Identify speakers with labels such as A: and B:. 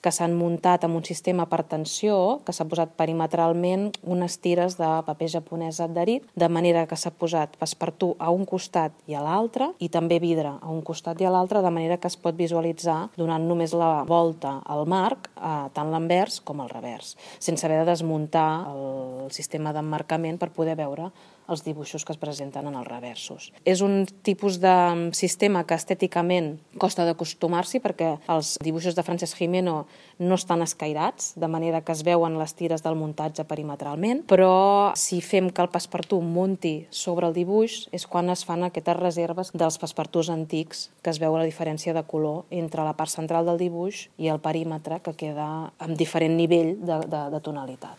A: que s'han muntat amb un sistema per tensió, que s'ha posat perimetralment unes tires de paper japonès adherit, de manera que s'ha posat passepartout a un costat i a l'altre, i també vidre a un costat i a l'altre, de manera que es pot visualitzar donant només la volta al marc, tant l'anvers com el revers, sense haver de desmuntar el sistema d'emmarcament per poder veure els dibuixos que es presenten en els reversos. És un tipus de sistema que estèticament costa d'acostumar-s'hi perquè els dibuixos de Francesc Gimeno no estan escairats, de manera que es veuen les tires del muntatge perimetralment, però si fem que el passepartout munti sobre el dibuix és quan es fan aquestes reserves dels passepartouts antics, que es veu la diferència de color entre la part central del dibuix i el perímetre, que queda amb diferent nivell de tonalitat.